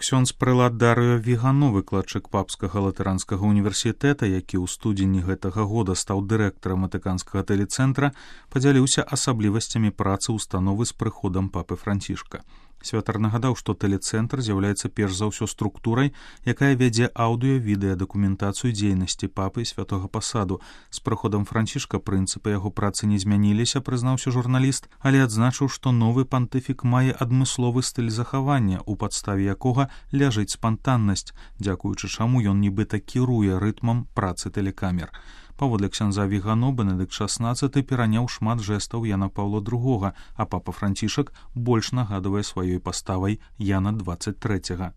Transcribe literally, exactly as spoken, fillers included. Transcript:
Ксёндз прэлат Дарыё Вігано, выкладчык папскага латаранскага універсітэта, які ў студзені гэтага года стаў дырэктарам ватыканскага тэлецэнтра, падзяліўся асаблівасцямі працы ўстановы з прыходам папы Францішка. Святар нагадаў, што тэлецэнтр з'яўляецца перш за ўсё структурай, якая вядзе аўдыё-відэа дакументацыю дзейнасці папы і святога пасаду. З прыходам Францішка прынцыпы яго працы не змяніліся, прызнаўся журналіст, але адзначыў, што новы пантыфік мае адмысловы стыль захавання, у падставе якога ляжыць спантаннасць, дзякуючы чаму ён нібыта кіруе рытмам працы тэлекамер. Паводле ксяндза Вігано, Бенедыкт шаснаццаты пераняў шмат жэстаў Яна Паўла другога, а папа Францішак больш нагадвае сваёй паставай Яна дваццаць трэцяга.